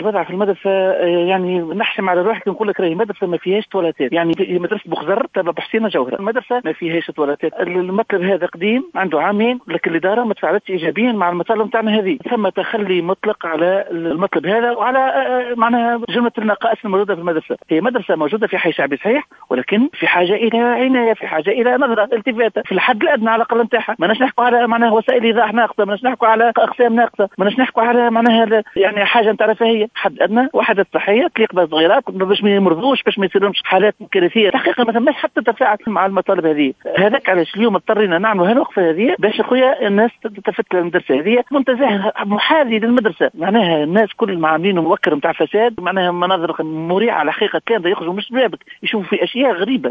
الوضع في المدرسة يعني نحشم على روحي نقول لك راهي مدرسه ما فيهاش تواليتات، يعني مدرسه بوخزر تبع بوحسينه جوهره، المدرسة ما فيهاش تواليتات. المطلب هذا قديم عنده عامين، لكن الادارة ما تفاعلتش ايجابيا مع المطالب نتاعنا هذه. ثم تخلي مطلق على المطلب هذا وعلى معناها جملة النقائص الموجودة في المدرسة. هي مدرسه موجودة في حي شعبي صحيح، ولكن في حاجة الى عناية، في حاجة الى نظره التفاته في الحد الادنى على الاقل نتاعها. ماناش نحكوا على معناها وسائل ايضاح ناقصه، ماناش نحكوا على اقسام ناقصه، ماناش نحكوا على معناها يعني حاجة نتاع رفاهية. حد ادنى وحدات صحية تليق بالصغيرات باش ما يمرضوش، باش ما يصيرلهمش حالات كارثية. الحقيقة ما ثماش حتى تفاعل مع المطالب هذه. هذاك علاش اليوم اضطرينا نعملوا هالوقفه هذه باش خويا الناس تلتفت للمدرسة هذه. منتزه محاذي للمدرسة، معناها الناس كل ما عاملينه موكر نتاع فساد، معناها مناظر مريعه الحقيقة. كان يخرجوا مش بابك يشوفوا في اشياء غريبة.